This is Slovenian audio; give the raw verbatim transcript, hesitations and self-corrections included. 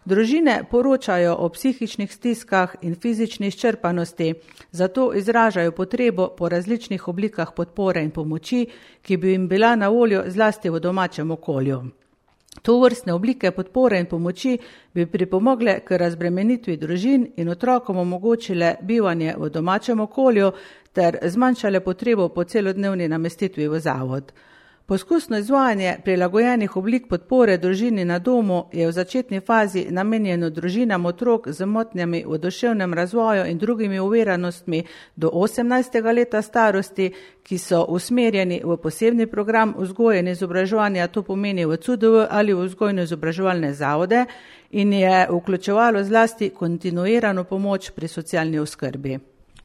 Družine poročajo o psihičnih stiskah in fizični izčrpanosti, zato izražajo potrebo po različnih oblikah podpore in pomoči, ki bi jim bila na voljo zlasti v domačem okolju. To vrstne oblike podpore in pomoči bi pripomogle k razbremenitvi družin in otrokom omogočile bivanje v domačem okolju ter zmanjšale potrebo po celodnevni namestitvi v zavod. Poskusno izvajanje prilagojenih oblik podpore družini na domu je v začetni fazi namenjeno družinam otrok z motnjami v duševnem razvoju in drugimi oviranostmi do osemnajstega leta starosti, ki so usmerjeni v posebni program vzgoje in izobraževanja, to pomeni v C U D V ali v vzgojno-izobraževalne zavode, in je vključevalo zlasti kontinuirano pomoč pri socialni oskrbi.